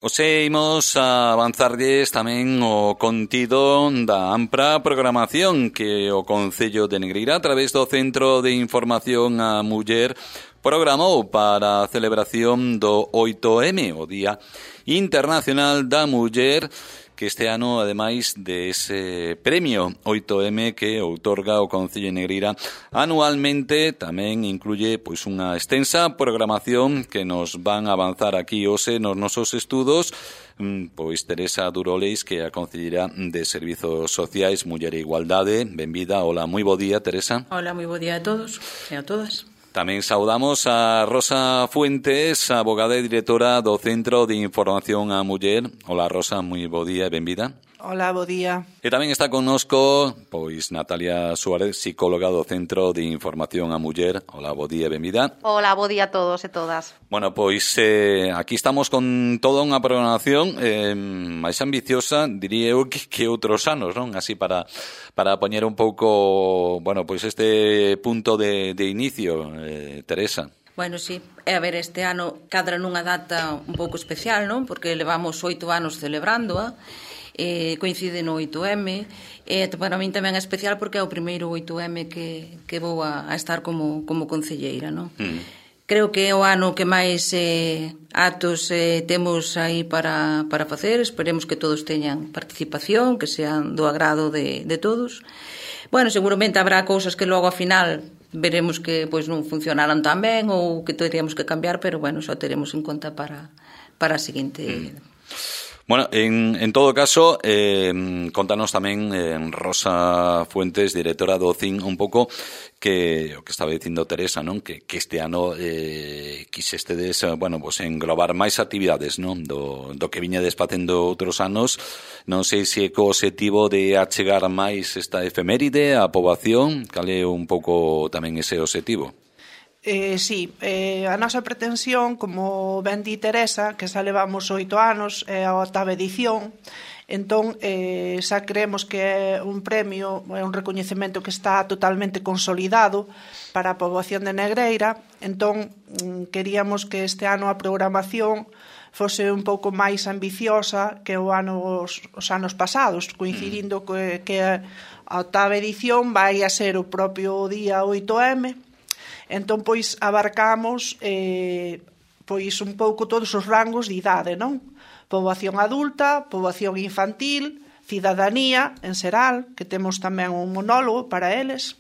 Oxe, imos a avanzarlles tamén o contido da ampla programación que o Concello de Negreira, a través do Centro de Información á Muller, programou para a celebración do 8M, o Día Internacional da Muller, que este ano, ademais dese premio 8M que outorga o Concello de Negreira anualmente, tamén incluye pois unha extensa programación que nos van a avanzar aquí hoxe nos nosos estudos, pois Teresa Duroleis, que é a Concelleira de Servizos Sociais, Muller e Igualdade. Benvida. Hola, moi bo día, Teresa. Hola, moi bo día a todos e a todas. Tamén saudamos a Rosa Fuentes, abogada e directora do Centro de Información á Muller. Hola, Rosa, moi bo día e benvida. Hola, bo día. E tamén está connosco, pois, Natalia Suárez, psicóloga do Centro de Información á Muller. Hola, bo día e benvida. Hola, bo día a todos e todas. Bueno, pois, aquí estamos con toda unha programación máis ambiciosa, diría eu, que outros anos, non? Así para poñer un pouco, bueno, pois este punto de inicio, Teresa. Bueno, sí, a ver, este ano cadra nunha data un pouco especial, non? Porque levamos 8 anos celebrándoa, coincide no 8M, e para min tamén é especial porque é o primeiro 8M que vou a estar como concelleira, non? Creo que é o ano que máis actos temos aí para facer. Esperemos que todos teñan participación, que sean do agrado de todos. Bueno, seguramente habrá cousas que logo ao final veremos que pois non funcionaran tan ben ou que teríamos que cambiar, pero bueno, xa teremos en conta para a seguinte. Bueno, en todo caso, contanos tamén Rosa Fuentes, directora do CIN, un pouco que o que estaba dicindo Teresa, non? Que este ano quixestedes, bueno, pues englobar máis actividades, non? Do que viñedes facendo outros anos. Non sei se co objetivo de achegar máis esta efeméride á poboación, cal é un pouco tamén ese objetivo? Sí, a nosa pretensión, como ben di Teresa, que xa levamos 8 anos, é a 8ª edición, entón xa creemos que é un premio, é un recoñecemento que está totalmente consolidado para a poboación de Negreira, entón queríamos que este ano a programación fose un pouco máis ambiciosa que os anos pasados, coincidindo que a 8ª edición vai a ser o propio día 8M. Entón, pois, abarcamos pois un pouco todos os rangos de idade, non? Poboación adulta, poboación infantil, cidadanía, en xeral, que temos tamén un monólogo para eles.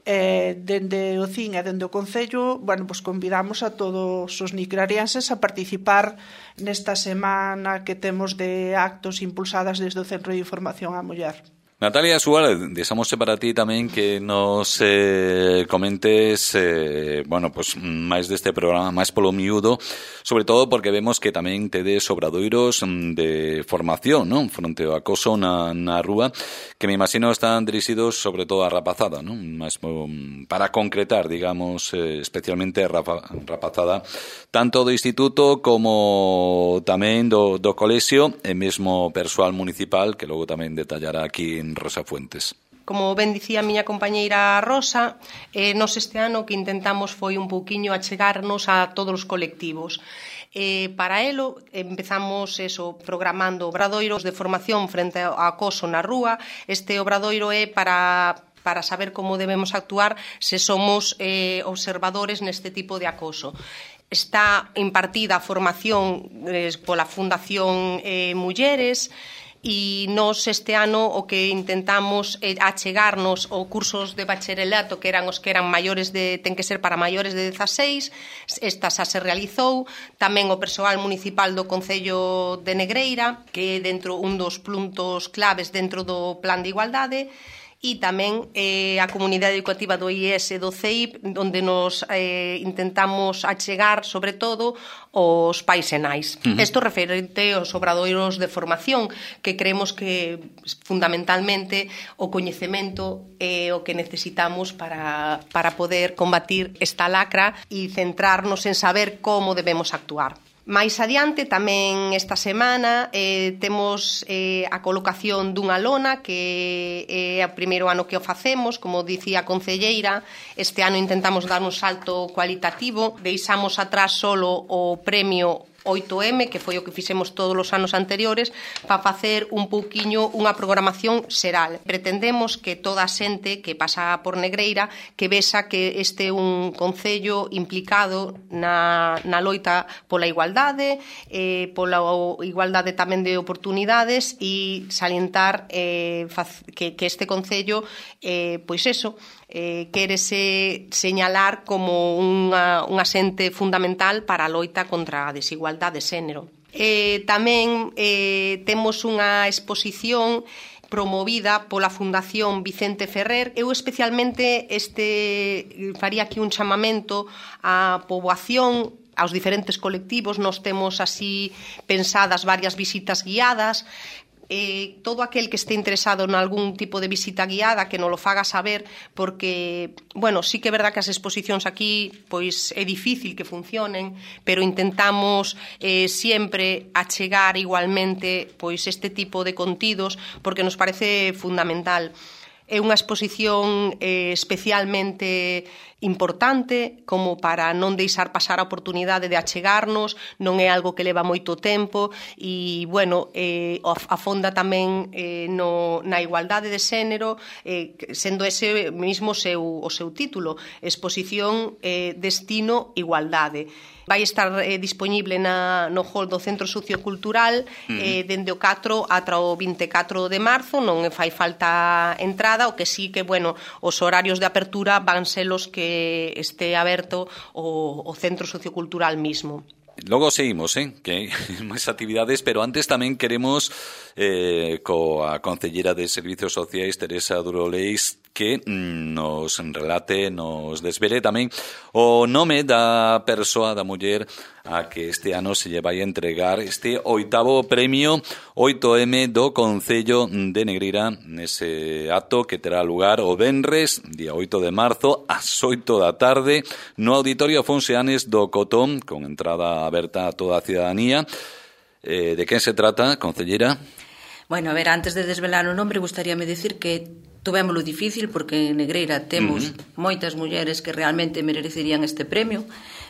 Dende o CIN e dende o Concello, bueno, pois convidamos a todos os nicrarienses a participar nesta semana que temos de actos impulsadas desde o Centro de Información á Muller. Natalia Suárez, deixámosche para ti tamén que nos comentes bueno, pues máis deste programa, máis polo miúdo, sobre todo porque vemos que tamén tedes obradoiros de formación, non? Fronte ao acoso na rúa, que me imagino están dirixidos sobre todo a rapazada, non? Mas para concretar, digamos, especialmente a rapazada, tanto do instituto como tamén do colexio e mesmo persoal municipal, que logo tamén detallará aquí en Rosa Fuentes. Como ben dicía a miña compañeira Rosa, nos este ano que intentamos foi un pouquiño achegarnos a todos os colectivos. Para elo empezamos programando obradoiros de formación frente ao acoso na rúa. Este obradoiro é para saber como debemos actuar se somos observadores neste tipo de acoso. Está impartida a formación pola Fundación Mulleres, e nos este ano o que intentamos é achegarnos aos cursos de bacharelato que eran os que eran maiores ten que ser para maiores de 16, esta xa se realizou, tamén o persoal municipal do Concello de Negreira, que é dentro un dos puntos claves dentro do Plan de Igualdade, e tamén a comunidade educativa do IES e do CEIP, onde nos intentamos achegar, sobre todo, os pais e nais. Isto referente aos obradoiros de formación, que creemos que, fundamentalmente, o coñecemento é o que necesitamos para poder combatir esta lacra e centrarnos en saber como debemos actuar. Mais adiante, tamén esta semana, temos a colocación dunha lona que é o primeiro ano que o facemos, como dicía a concelleira. Este ano intentamos dar un salto cualitativo, deixamos atrás solo o premio 8M, que foi o que fixemos todos os anos anteriores, para facer un pouquiño unha programación xeral. Pretendemos que toda a xente que pasa por Negreira que vexa que este é un concello implicado na loita pola igualdade, pola igualdade tamén de oportunidades, e salientar que este concello, pois eso, quérese señalar como unha xente fundamental para a loita contra a desigualdade de xénero. Tamén temos unha exposición promovida pola Fundación Vicente Ferrer. Eu especialmente faría aquí un chamamento á poboación, aos diferentes colectivos. Nos temos así pensadas varias visitas guiadas. Todo aquel que este interesado en algún tipo de visita guiada que nos lo faga saber, porque, bueno, sí que é verdad que as exposicións aquí pois é difícil que funcionen, pero intentamos sempre achegar igualmente pois este tipo de contidos, porque nos parece fundamental. É unha exposición especialmente importante, como para non deixar pasar a oportunidade de achegarnos. Non é algo que leva moito tempo e, bueno, afonda tamén na igualdade de xénero, sendo ese mesmo o seu título, Exposición Destino Igualdade. Vai estar disponible no hall do Centro Sociocultural dende o 4 ata o 24 de marzo. Non fai falta entrada, o que sí que, bueno, os horarios de apertura van ser os que este aberto o Centro Sociocultural mismo. Logo seguimos, que hai máis actividades, pero antes tamén queremos coa Concellera de Servicios Sociais, Teresa Duroleis, que nos relate, nos desvele tamén o nome da persoa, da muller, a que este ano se lle vai a entregar este 8º premio 8M do Concello de Negreira, nese acto que terá lugar o venres, día 8 de marzo, ás 8 da tarde, no Auditorio Afonso Anes do Cotón, con entrada aberta a toda a ciudadanía. De quen se trata, Concellera? Bueno, a ver, antes de desvelar o nombre, gustaríame dicir que tuvémolo difícil, porque en Negreira temos moitas mulleres que realmente merecerían este premio,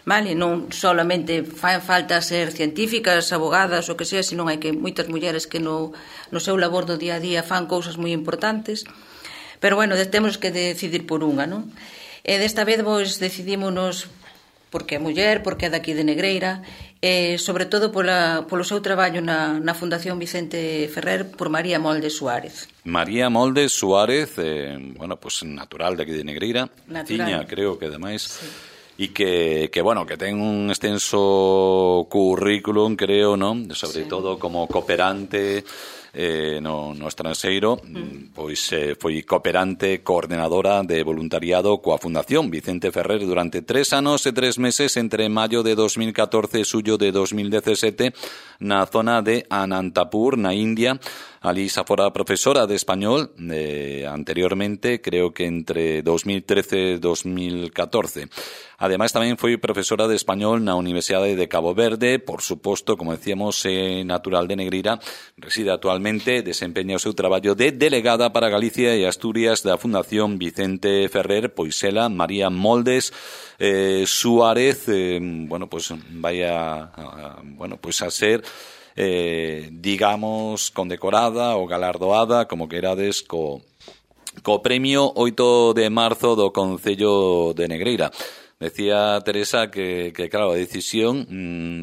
vale? Non solamente fan falta ser científicas, abogadas, o que sea, sino hai que moitas mulleres que no seu labor do día a día fan cousas moi importantes, pero bueno, temos que decidir por unha, non? E desta vez vos decidímonos porque é muller, porque é daqui de Negreira, sobre todo polo seu traballo na Fundación Vicente Ferrer, por María Moldes Suárez. María Moldes Suárez, bueno, pues natural de aquí de Negreira, ciña, creo que ademais, sí. E que bueno, que ten un extenso currículum, creo, non? Sobre todo como cooperante no estranxeiro, pois foi cooperante coordenadora de voluntariado coa Fundación Vicente Ferrer durante 3 anos e 3 meses entre maio de 2014 e xullo de 2017 na zona de Anantapur, na India. Ali xa fora profesora de español anteriormente, creo que entre 2013 e 2014. Ademais, tamén foi profesora de español na Universidade de Cabo Verde. Por suposto, como decíamos, natural de Negreira, reside actualmente, desempeña o seu traballo de delegada para Galicia e Asturias da Fundación Vicente Ferrer, pois ela, María Moldes Suárez, bueno, pues vai a ser digamos, condecorada ou galardoada, como querades, co premio 8 de marzo do Concello de Negreira. Decía Teresa que claro, a decisión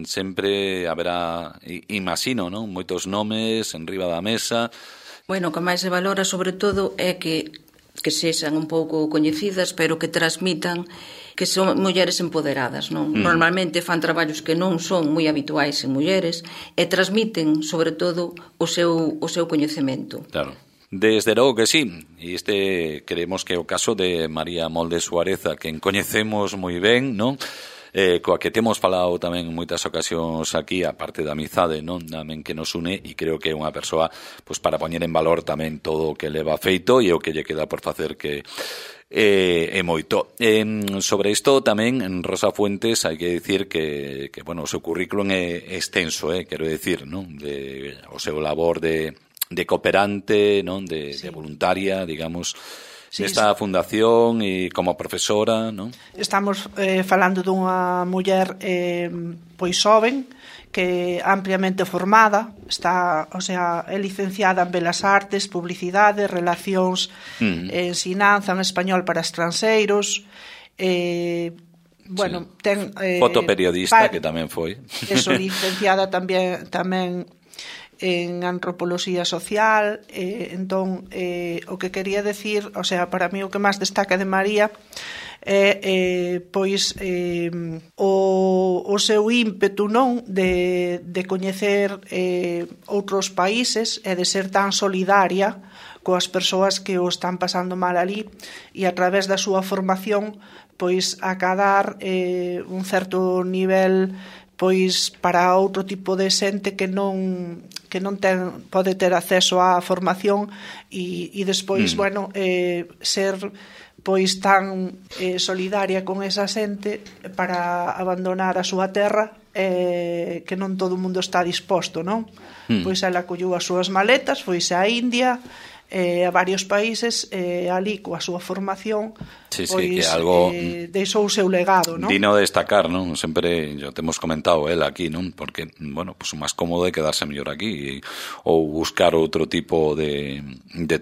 sempre haberá, imagino, non? Moitos nomes en riba da mesa. Bueno, o que máis se valora sobre todo é que sexan un pouco coñecidas, pero que transmitan que son mulleres empoderadas, non? Normalmente fan traballos que non son moi habituais en mulleres e transmiten, sobre todo, o seu coñecemento. Claro. Desde logo que sí, e creemos que é o caso de María Moldes Suárez, a quen coñecemos moi ben, non? Coa que temos falado tamén en moitas ocasións aquí, a parte da amizade, non? Tamén que nos une, e creo que é unha persoa pois para poñer en valor tamén todo o que leva feito e o que lle queda por facer, que é moito. Sobre isto tamén, en Rosa Fuentes, hai que dicir que bueno, o seu currículum é extenso, quero dicir, non? O seu labor de cooperante, non? De voluntaria, digamos, nesta fundación e como profesora, non? Estamos falando dunha muller pois xoven, que ampliamente formada, está, o sea, é licenciada en Belas Artes, Publicidade, Relacións, ensinanza en español para estranxeiros, bueno, ten fotoperiodista que tamén foi. Eso, licenciada tamén en antropoloxía social, entón o que quería decir, o sea, para mí o que máis destaca de María é pois o seu ímpetu, non, de coñecer outros países e de ser tan solidaria coas persoas que o están pasando mal ali, e a través da súa formación pois acadar un certo nivel pois para outro tipo de xente que non pode ter acceso á formación e despois, bueno, ser pois tan solidaria con esa xente para abandonar a súa terra, que non todo o mundo está disposto, non? Pois ela colleu as súas maletas, foise á India, a varios países, ali coa súa formación, pois que algo deixou o seu legado, non? Dino de destacar, non? Sempre yo te hemos comentado el aquí, non? Porque, bueno, pues o máis cómodo é quedarse mellor aquí ou buscar outro tipo de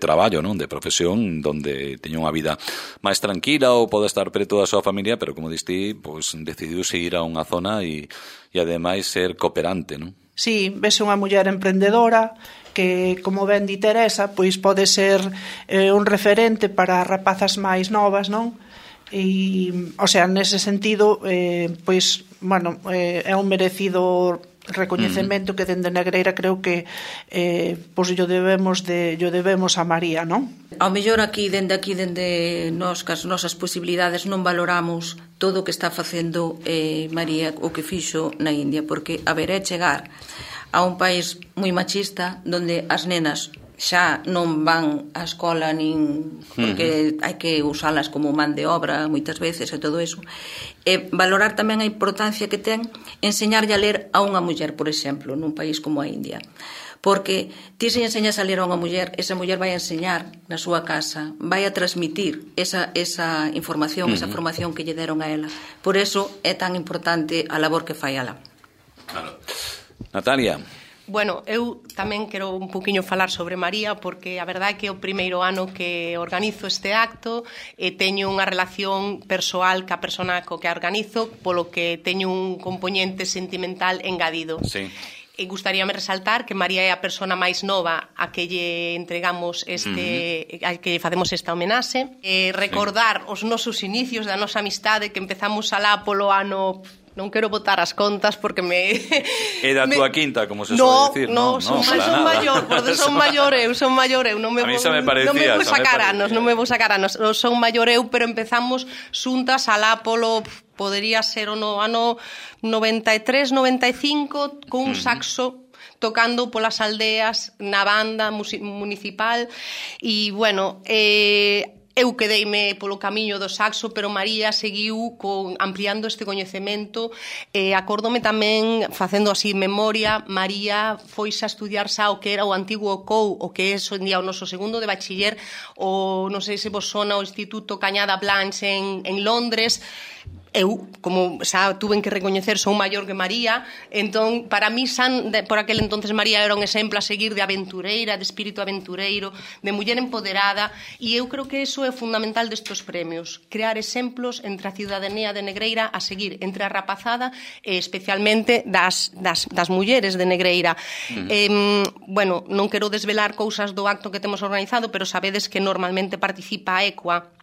traballo, non? De profesión donde teña unha vida máis tranquila ou pode estar preto da súa familia, pero como diste, pues decidiu seguir a unha zona e ademais ser cooperante, non? Sí, vese unha muller emprendedora que, como ben di Teresa, pois pode ser un referente para rapazas máis novas, non? E, o sea, nese sentido, pois, bueno, é un merecido recoñecemento que dende Negreira creo que pois yo debemos a María, non? Ao mellor dende nós, cas nosas posibilidades, non valoramos todo o que está facendo María, o que fixo na India, porque, a ver, é chegar a un país moi machista onde as nenas xa non van á escola nin porque hai que usalas como man de obra moitas veces e todo eso, e valorar tamén a importancia que ten enseñarlle a ler a unha muller, por exemplo, nun país como a India, porque ti se enseñas a ler a unha muller, esa muller vai a enseñar na súa casa, vai a transmitir esa información, esa formación que lle deron a ela. Por eso é tan importante a labor que fai ela. Claro. Natalia. Bueno, eu tamén quero un poquinho falar sobre María, porque a verdade é que é o primeiro ano que organizo este acto e teño unha relación persoal ca persona co que organizo, polo que teño un componente sentimental engadido. Sí. E gustaríame resaltar que María é a persona máis nova a que lle entregamos a que lle facemos esta homenaxe, recordar os nosos inicios da nosa amistade, que empezamos alá polo ano, non quero botar as contas porque me... É da túa quinta, como se suele decir, non? Son maior, porque son maior eu, non me vou sacar anos, son maior eu, pero empezamos xuntas alá polo, podería ser no ano 93, 95, con un saxo tocando polas aldeas na banda municipal e, bueno, eu quedeime polo camiño do saxo, pero María seguiu ampliando este coñecemento. Acórdome tamén, facendo así memoria, María foise a estudiar xa o que era o antigo COU, o que é hoxe en día o noso segundo de bachiller, o non sei se vos sona o Instituto Cañada Blanche en Londres. Eu, como xa tuven que recoñecer, son maior que María, entón, para mí, por aquel entonces, María era un exemplo a seguir de aventureira, de espírito aventureiro, de muller empoderada, e eu creo que iso é fundamental destes premios, crear exemplos entre a ciudadanía de Negreira a seguir, entre a rapazada e especialmente das mulleres de Negreira. Bueno, non quero desvelar cousas do acto que temos organizado, pero sabedes que normalmente participa a ECUA.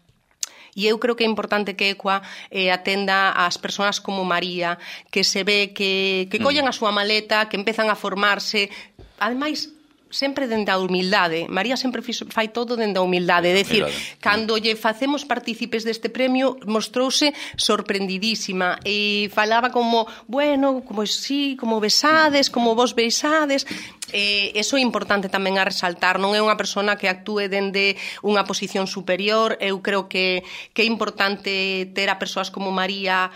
E eu creo que é importante que ECUA atenda ás persoas como María, que se ve que collen a súa maleta, que empezan a formarse, ademais, sempre dende a humildade. María sempre fai todo dende a humildade, é dicir, cando lle facemos partícipes deste premio, mostrouse sorprendidísima e falaba como, bueno, como sí, como besades, como vos beisades. Eso é importante tamén a resaltar, non é unha persona que actúe dende unha posición superior. Eu creo que é importante ter a persoas como María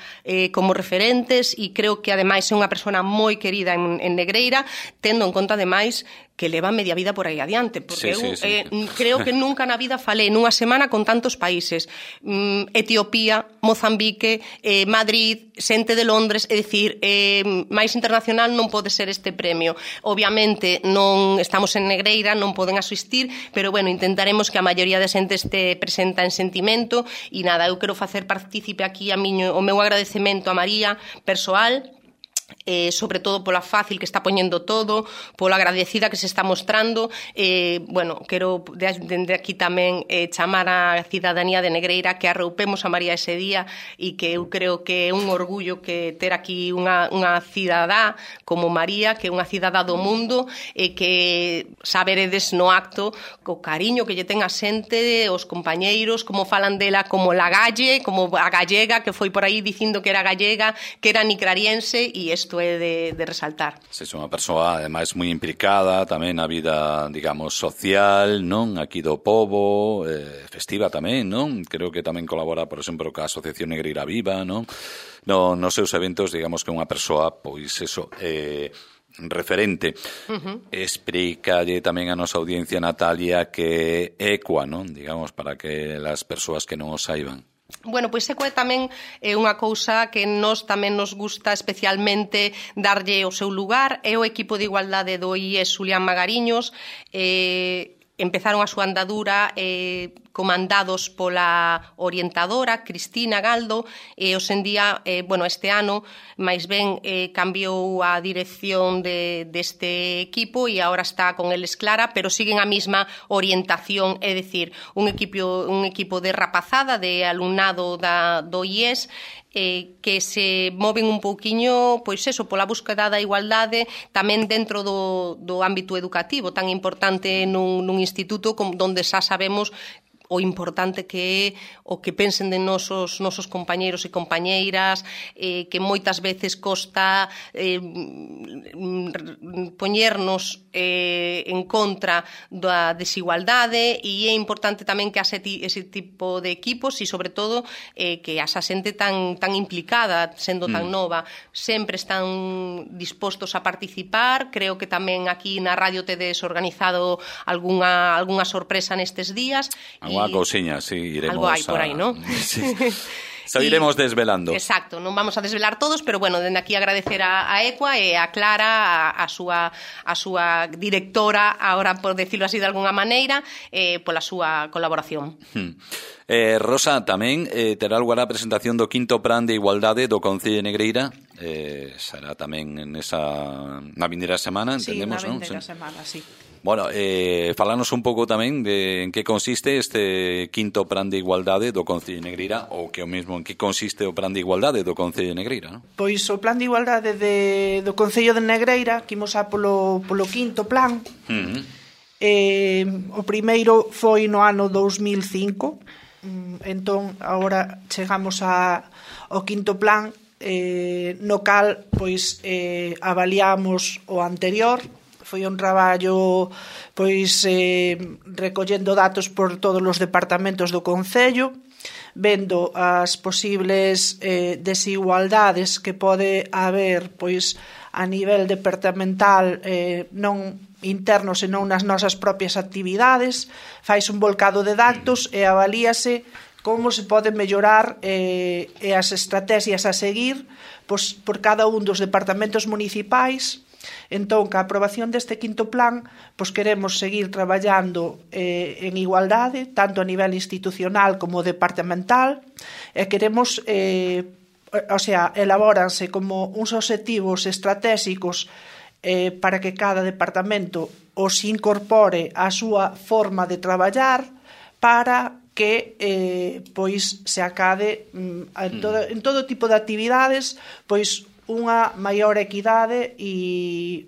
como referentes, e creo que ademais é unha persona moi querida en Negreira, tendo en conta ademais que leva media vida por aí adiante, porque creo que nunca na vida falei nunha semana con tantos países, Etiopía, Mozambique, Madrid, xente de Londres, é dicir, máis internacional non pode ser este premio. Obviamente non estamos en Negreira, non poden asistir, pero bueno, intentaremos que a maioría de xente este presenta en sentimento, e nada, eu quero facer partícipe aquí o meu agradecemento a María persoal, sobre todo pola fácil que está poñendo todo, pola agradecida que se está mostrando. Bueno, quero dende aquí tamén chamar a cidadanía de Negreira que arroupemos a María ese día, e que eu creo que é un orgullo que ter aquí unha cidadá como María, que é unha cidadá do mundo, e que saberedes no acto o cariño que lle ten a xente, os compañeiros, como falan dela como la galle, como a gallega, que foi por aí dicindo que era gallega, que era nicrariense, e isto é de resaltar. Se é unha persoa, ademais, moi implicada tamén na vida, digamos, social, non? Aquí do pobo, festiva tamén, non? Creo que tamén colabora, por exemplo, ca Asociación Negreira Viva, non? Nos seus eventos, digamos que é unha persoa, pois, eso, referente. Explícalle tamén a nosa audiencia, Natalia, que é ECUA, non? Digamos, para que as persoas que non o saiban. Bueno, pois ECUA tamén é unha cousa que nos tamén nos gusta especialmente darlle o seu lugar. É o equipo de igualdade do IES Xulián Magariños. Empezaron a súa andadura comandados pola orientadora Cristina Galdo, e hoxendía, bueno, este ano máis ben cambiou a dirección deste equipo e agora está con eles Clara, pero siguen a mesma orientación, é dicir, un equipo de rapazada, de alumnado do IES, que se moven un pouquiño, pois eso, pola búsqueda da igualdade tamén dentro do ámbito educativo, tan importante nun instituto donde xa sabemos o importante que é o que pensen de nosos compañeiros e compañeiras, que moitas veces costa poñernos en contra da desigualdade, e é importante tamén que ese tipo de equipos, e sobre todo que asa xente tan implicada, sendo tan nova, sempre están dispostos a participar. Creo que tamén aquí na radio tedes organizado algunha sorpresa nestes días. Unha cousiña, sí, iremos algo hai por aí, non? Sí. Xa iremos desvelando. Exacto, non vamos a desvelar todos, pero bueno, dende aquí agradecer a ECUA e a Clara, a súa directora, ahora por decirlo así de alguna maneira, pola súa colaboración. Rosa, tamén terá lugar a presentación do quinto plan de igualdade do Concello de Negreira. Será tamén na vindeira semana, entendemos, non? Sí, na vindeira semana, sí. Bueno, falanos un pouco tamén de en que consiste este quinto plan de igualdade do Concello de Negreira, ou que o mesmo en que consiste o plan de igualdade do Concello de Negreira, non? Pois o plan de igualdade do Concello de Negreira, que imos a polo quinto plan. O primeiro foi no ano 2005, entón agora chegamos ao quinto plan, no cal pois avaliamos o anterior. Foi un traballo pois recollendo datos por todos os departamentos do Concello, vendo as posibles desigualdades que pode haber pois a nivel departamental, non interno, senón nas nosas propias actividades. Fais un volcado de datos e avalíase como se pode mellorar e as estrategias a seguir pois, por cada un dos departamentos municipais. Entón, ca aprobación deste quinto plan, pois queremos seguir traballando en igualdade, tanto a nivel institucional como departamental, e queremos, elabóranse como uns obxectivos estratégicos para que cada departamento os incorpore a súa forma de traballar para que pois se acade en todo tipo de actividades pois unha maior equidade e,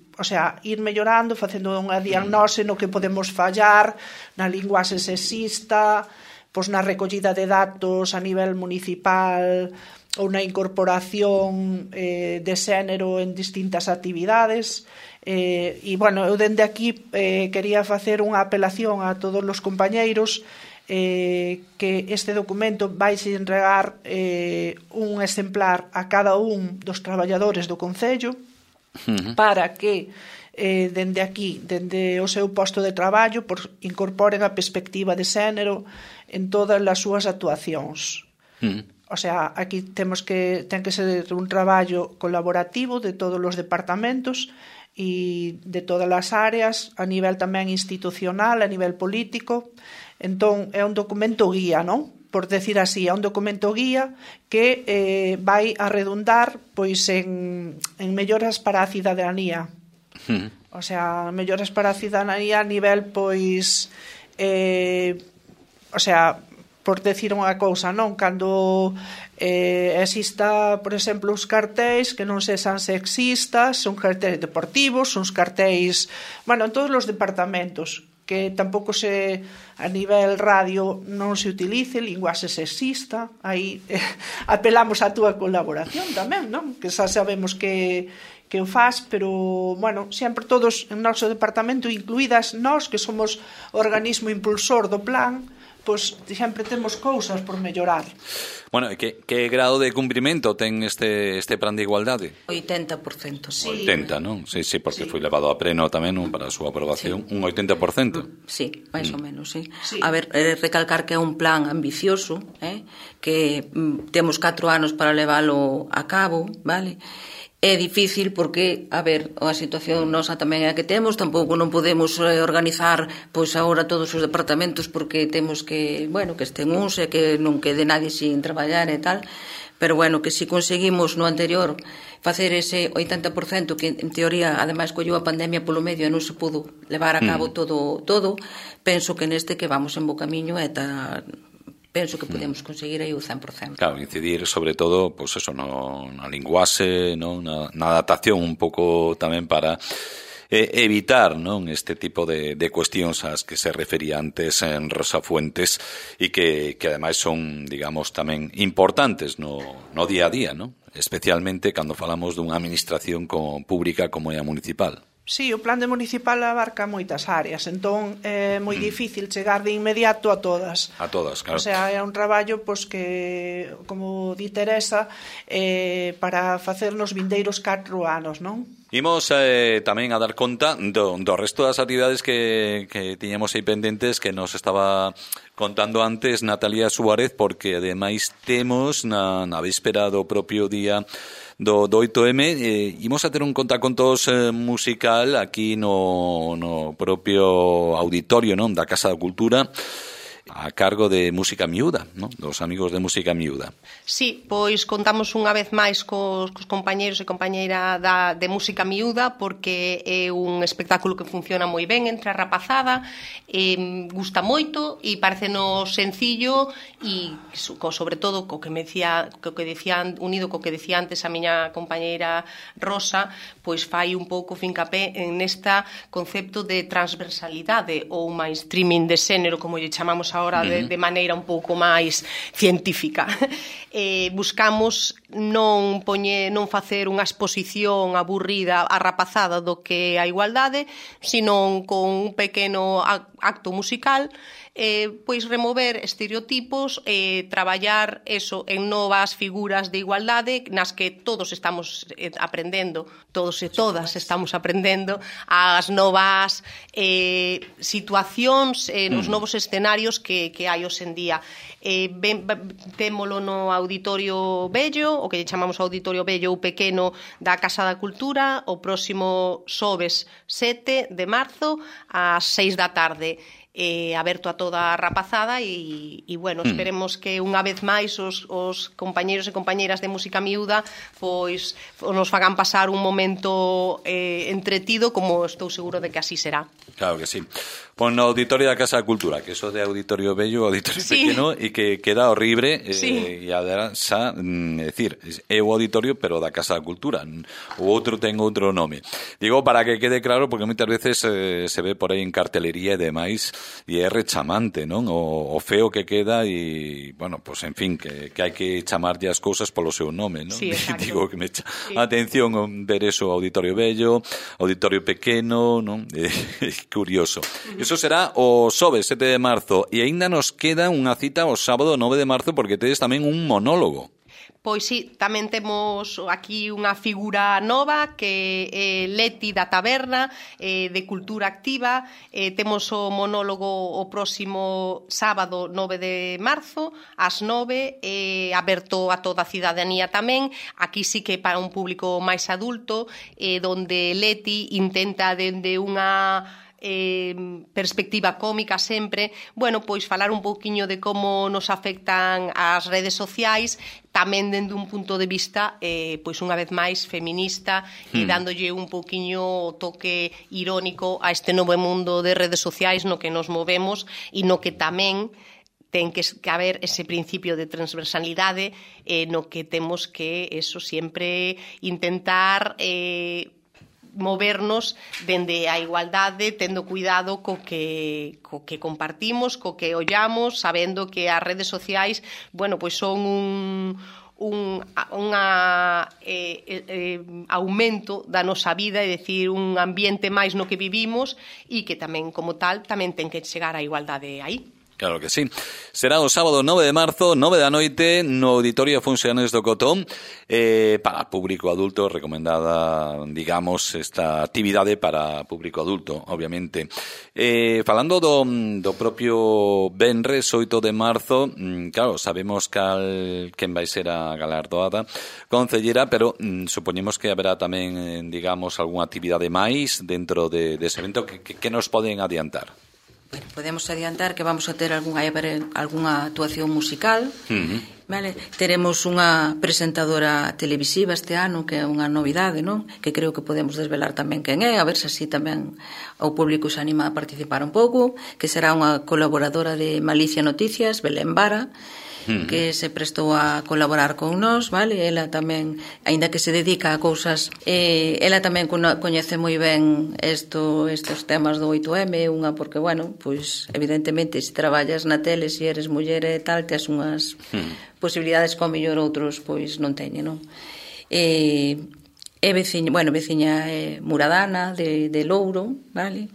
ir mellorando, facendo unha diagnose no que podemos fallar na linguaxe sexista, pois na recollida de datos a nivel municipal ou na incorporación de xénero en distintas actividades. E, bueno, eu dende aquí quería facer unha apelación a todos os compañeiros que este documento vai se entregar un exemplar a cada un dos traballadores do Concello para que dende aquí, dende o seu posto de traballo, incorporen a perspectiva de xénero en todas as súas actuacións. O sea, aquí ten que ser un traballo colaborativo de todos os departamentos e de todas as áreas, a nivel tamén institucional, a nivel político. Entón, é un documento guía, non? Por decir así, é un documento guía que vai a redundar pois en melloras para a cidadanía. O sea, melloras para a cidadanía a nivel, pois, o sea, por decir unha cousa, non? Cando exista, por exemplo, uns cartéis que non sexan sexistas, son cartéis deportivos, son cartéis, bueno, en todos os departamentos, que tampouco a nivel radio non se utilice linguaxe sexista, aí apelamos á túa colaboración tamén, non? Que xa sabemos que o faz, pero, bueno, sempre todos en noso departamento, incluídas nós, que somos o organismo impulsor do plan, pois sempre temos cousas por mellorar. Bueno, que grado de cumprimento ten este plan de igualdade? 80%. Sí. 80, non? Sí, porque foi levado a pleno tamén para a súa aprobación. Un 80%? Sí, máis ou menos, sí. A ver, recalcar que é un plan ambicioso, que temos 4 anos para leválo a cabo, vale? É difícil porque, a ver, a situación nosa tamén é a que temos, tampouco non podemos organizar pois agora todos os departamentos porque temos que, bueno, que estén uns e que non quede nadie sin traballar e tal, pero bueno, que si conseguimos no anterior facer ese 80% que en teoría, ademais, colleu a pandemia polo medio e non se pudo levar a cabo todo, penso que neste que vamos en bo camiño e penso que podemos conseguir aí o 100%. Claro, incidir sobre todo, pois eso, na linguaxe, na adaptación un pouco tamén para evitar, non, este tipo de cuestións ás que se refería antes en Rosa Fuentes e que ademais son, digamos, tamén importantes no día a día, non? Especialmente cando falamos dunha administración pública como é a municipal. Sí, o plan de municipal abarca moitas áreas, entón é moi difícil chegar de inmediato a todas. A todas, claro. O sea, é un traballo pois que, como di Teresa, para facer nos vindeiros 4 anos, non? Imos tamén a dar conta do resto das actividades que tiñamos aí pendentes que nos estaba contando antes Natalia Suárez, porque ademais temos na víspera do propio día do 8M, imos a ter un contacontos musical aquí no propio auditorio, non, da Casa da Cultura, a cargo de Música Miúda, non? Dos amigos de Música Miúda. Sí, pois contamos unha vez máis cos compañeiros e compañeira de Música Miúda, porque é un espectáculo que funciona moi ben entre a rapazada, gusta moito e parecenos sencillo e sobre todo unido co que decía antes a miña compañeira Rosa, pois fai un pouco fincapé en esta concepto de transversalidade ou mainstreaming de xénero, como lle chamamos ahora de maneira un pouco máis científica. Buscamos non facer unha exposición aburrida a rapazada do que a igualdade, sino con un pequeno acto musical, pois remover estereotipos e traballar eso en novas figuras de igualdade nas que todos estamos aprendendo, todos e todas estamos aprendendo as novas situacións, nos novos escenarios que hai hoxe en día. Témolo no Auditorio Bello, o que chamamos Auditorio Bello ou Pequeno da Casa da Cultura, o próximo xoves 7 de marzo ás 6 da tarde. Aberto a toda a rapazada e bueno, esperemos que unha vez máis os compañeiros e compañeiras de Música Miúda pois nos fagan pasar un momento entretido, como estou seguro de que así será. Claro que sí. Pon no Auditorio da Casa da Cultura, que eso de Auditorio Bello, Auditorio Pequeno, e que queda horrible, e además, decir, é o auditorio, pero da Casa da Cultura. O outro ten outro nome. Digo, para que quede claro, porque moitas veces se ve por aí en cartelería e demais, e é rechamante, non? O feo que queda e, bueno, pues en fin, que hai que chamarlle as cousas polo seu nome, non? Sí, exacto. Digo que me atención ver eso, Auditorio Bello, Auditorio Pequeno, non? Curioso. Eso será o xoves 7 de marzo e aínda nos queda unha cita o sábado 9 de marzo porque tedes tamén un monólogo. Pois sí, tamén temos aquí unha figura nova que é Leti da Taberna, de Cultura Activa. Temos o monólogo o próximo sábado 9 de marzo ás 9, aberto a toda a cidadanía tamén. Aquí sí que para un público máis adulto, donde Leti intenta dende unha perspectiva cómica sempre, bueno, pois falar un pouquiño de como nos afectan as redes sociais, tamén dende un punto de vista pois unha vez máis feminista, e dándolle un pouquiño o toque irónico a este novo mundo de redes sociais no que nos movemos e no que tamén ten que haber ese principio de transversalidade, no que temos que eso sempre intentar movernos dende a igualdade, tendo cuidado co que compartimos, co que ollamos, sabendo que as redes sociais, bueno, pois son un aumento da nosa vida, é dicir, un ambiente máis no que vivimos, e que tamén, como tal, tamén ten que chegar a igualdade aí. Claro que sí. Será o sábado 9 de marzo, 9 da noite, no Auditorio Funciones do Cotón. Para público adulto, recomendada, digamos, esta actividade para público adulto, obviamente. Falando do propio venres 8 de marzo, claro, sabemos quen vai ser a galardoada concellera, pero supoñemos que haberá tamén, digamos, algunha actividade máis dentro dese evento que nos poden adiantar. Bueno, podemos adiantar que vamos a ter algunha actuación musical, vale? Teremos unha presentadora televisiva este ano, que é unha novidade, non? Que creo que podemos desvelar tamén quen é, a ver se así tamén o público se anima a participar un pouco, que será unha colaboradora de Malicia Noticias, Belén Vara, que se prestou a colaborar con nós, vale? Ela tamén, aínda que se dedica a cousas, ela tamén coñece moi ben estos temas do 8M, unha porque, bueno, pois evidentemente se traballas na tele, se eres muller e tal, tes unhas posibilidades que ao mellor outros pois non teñen, non? Veciña muradana de Louro, vale?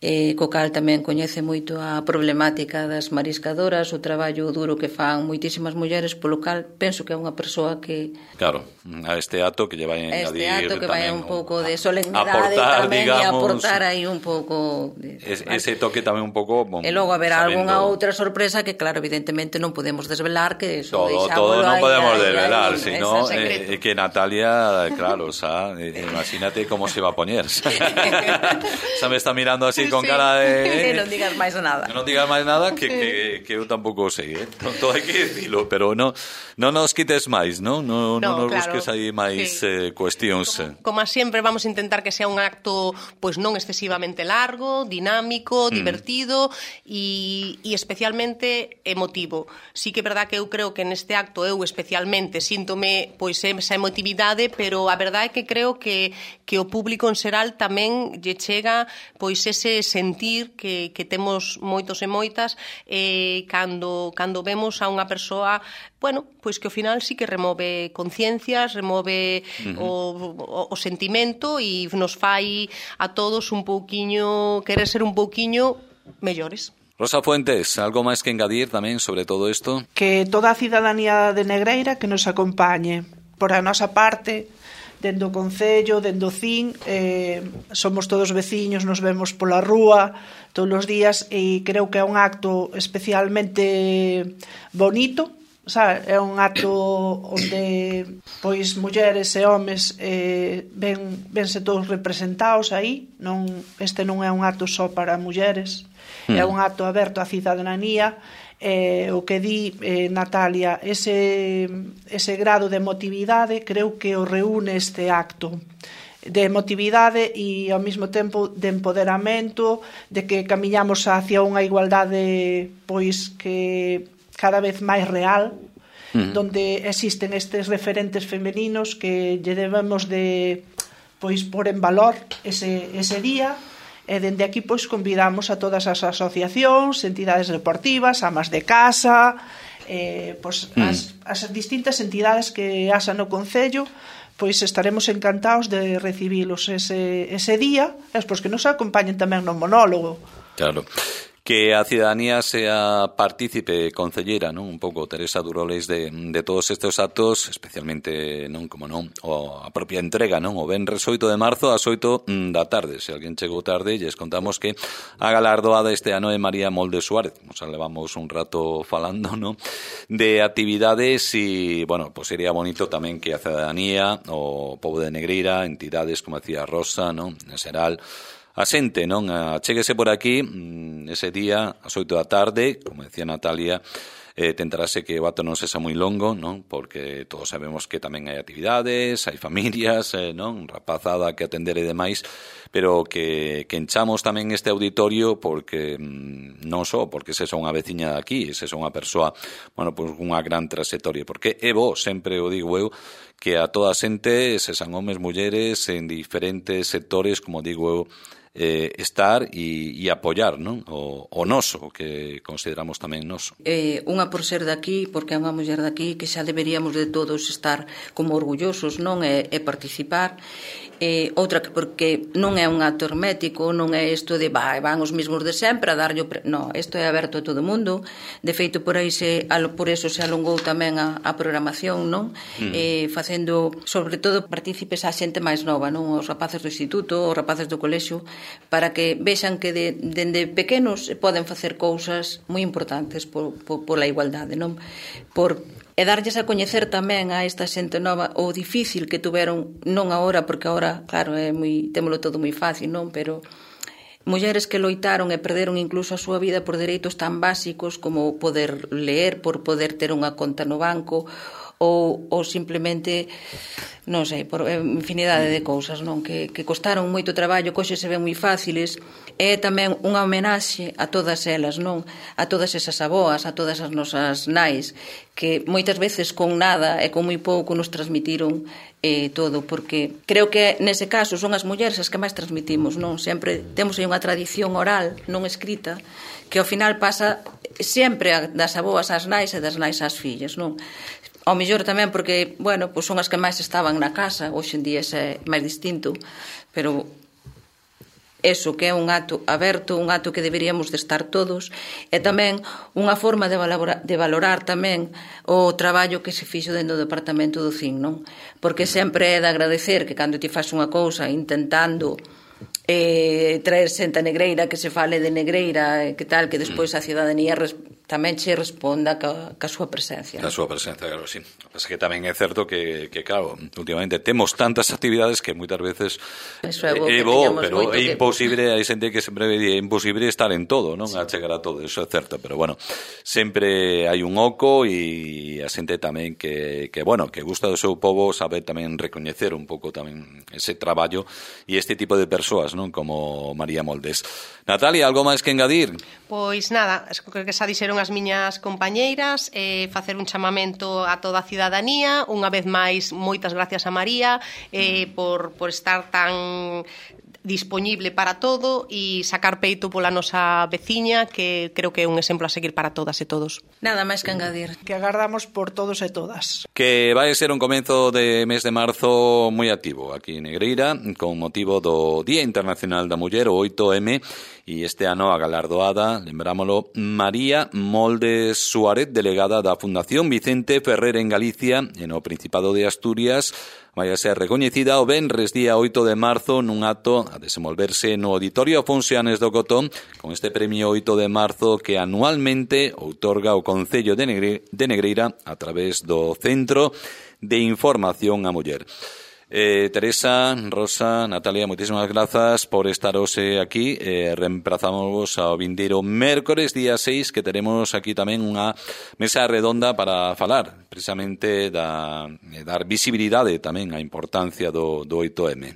Co cal tamén coñece moito a problemática das mariscadoras, o traballo duro que fan moitísimas mulleres, polo cal penso que é unha persoa que... Claro, a este acto que lle vai engadir este acto que vai un pouco de solemnidade aportar, tamén, digamos, e aportar aí un pouco... Ese toque tamén un pouco... E logo haberá algunha outra sorpresa que, claro, evidentemente non podemos desvelar, que eso todo non podemos desvelar, sino que Natalia, claro, o sea, imagínate como se va a poñer. Se me está mirando así con cara de... non digas máis nada. Non digas máis nada, que eu tampouco sei, todo hai que dicilo, pero non nos quites máis, non nos busques aí máis cuestións. Como sempre, vamos a intentar que sea un acto pois non excesivamente largo, dinámico, divertido e especialmente emotivo. Sí que é verdad que eu creo que neste acto eu especialmente síntome pois esa emotividade, pero a verdade é que creo que o público en xeral tamén lle chega pois ese sentir que temos moitos e moitas cando vemos a unha persoa, bueno, pois que ao final sí que remove conciencias, remove o sentimento e nos fai a todos un pouquiño, querer ser un pouquiño mellores. Rosa Fuentes, algo máis que engadir tamén sobre todo isto? Que toda a cidadanía de Negreira que nos acompañe. Por a nosa parte, dende o Concello, dende o CIN, somos todos veciños, nos vemos pola rúa todos os días e creo que é un acto especialmente bonito, sabe? É un acto onde pois mulleres e homes vense todos representados aí, este non é un acto só para mulleres, é un acto aberto á cidadanía. O que di Natalia, ese grado de emotividade creo que o reúne este acto de emotividade e ao mesmo tempo de empoderamento, de que camiñamos hacia unha igualdade pois que cada vez máis real, donde existen estes referentes femeninos que lle debemos de pois pôr en valor ese día. E dende aquí pois convidamos a todas as asociacións, entidades deportivas, amas de casa, as distintas entidades que haxa no Concello, pois estaremos encantados de recibilos ese día, e pois que nos acompañen tamén no monólogo. Claro. que a cidadanía sea partícipe concelleira, non? Un pouco Teresa Duroles de todos estes actos, especialmente, non, como non, a propia entrega, non? O venres 8 de marzo ás 8 da tarde. Se alguén chegou tarde, lles contamos que a galardoada este ano é María Moldes Suárez. O sea, levamos un rato falando, non? De actividades e, bueno, pues sería bonito tamén que a cidadanía, o pobo de Negreira, entidades como decía Rosa, non? En xeral, a xente, non? Chéguese por aquí ese día ás 8 da tarde, como decía Natalia, tentarase que o acto non sexa moi longo, non? Porque todos sabemos que tamén hai actividades, hai familias, non? Rapazada que atender e demais, pero que enchamos tamén este auditorio porque non só porque sexa unha veciña de aquí, sexa unha persoa, bueno, pues unha gran trayectoria, porque é bo, sempre o digo eu, que a toda a xente, sexan homes, mulleres, en diferentes sectores, como digo eu, estar e apoiar, non? O noso, que consideramos tamén noso. Unha por ser daqui, porque é unha muller daqui, que xa deberíamos de todos estar como orgullosos, non? E participar. Outra que porque non é un acto hermético, non é isto de van os mesmos de sempre a darlle non, isto é aberto a todo o mundo. De feito, por eso se alongou tamén a programación, non? Facendo, sobre todo, partícipes a xente máis nova, non? Os rapaces do instituto, os rapaces do colexio, para que vexan que dende pequenos poden facer cousas moi importantes pola igualdade, non? E darlles a coñecer tamén a esta xente nova o difícil que tuveron, non agora, porque agora, claro, témolo todo moi fácil, non? Pero mulleres que loitaron e perderon incluso a súa vida por dereitos tan básicos como poder ler, por poder ter unha conta no banco, ou simplemente, non sei, por infinidade de cousas, non? Que costaron moito traballo, que hoxe se ven moi fáciles. É tamén unha homenaxe a todas elas, non? A todas esas aboas, a todas as nosas nais, que moitas veces con nada e con moi pouco nos transmitiron todo, porque creo que nese caso son as mulleres as que máis transmitimos, non? Sempre temos aí unha tradición oral, non escrita, que ao final pasa sempre das aboas ás nais e das nais ás fillas, non? Ao mellor tamén porque, bueno, pois son as que máis estaban na casa, hoxe en día é máis distinto, pero eso que é un acto aberto, un acto que deberíamos de estar todos, e tamén unha forma de valorar tamén o traballo que se fixo dentro do departamento do CIN, non? Porque sempre é de agradecer que cando ti faz unha cousa intentando traer xente a Negreira, que se fale de Negreira, que tal, que despois a cidadanía tamén che responda ca súa presencia. A súa presencia, claro, sí. Pasa que tamén é certo que claro, últimamente temos tantas actividades que moitas veces é bo, pero é imposible, hai xente que sempre é imposible estar en todo, non? A chegar a todo, eso é certo, pero bueno, sempre hai un oco e a xente tamén que bueno, que gusta do seu pobo, sabe tamén recoñecer un pouco tamén ese traballo e este tipo de persoas, non? Como María Moldes. Natalia, algo máis que engadir? Pois nada, creo que xa dixeron as miñas compañeiras, facer un chamamento a toda a cidadanía, unha vez máis, moitas gracias a María por estar tan dispoñible para todo e sacar peito pola nosa veciña, que creo que é un exemplo a seguir para todas e todos. Nada máis que engadir. Que agardamos por todos e todas. Que vai ser un comenzo de mes de marzo moi activo aquí en Negreira, con motivo do Día Internacional da Muller, o 8M, e este ano a galardoada, lembrámolo, María Moldes Suárez, delegada da Fundación Vicente Ferrer en Galicia, e no Principado de Asturias, vai a ser recoñecida o venres día 8 de marzo nun acto a desenvolverse no Auditorio Afonso Anes do Cotón, con este premio 8 de marzo que anualmente outorga o Concello de Negreira a través do Centro de Información á Muller. Teresa, Rosa, Natalia, moitísimas grazas por estar hoxe aquí. Reemplazamos ao vindeiro mércores día 6, que teremos aquí tamén unha mesa redonda para falar precisamente dar visibilidade tamén á importancia do 8M.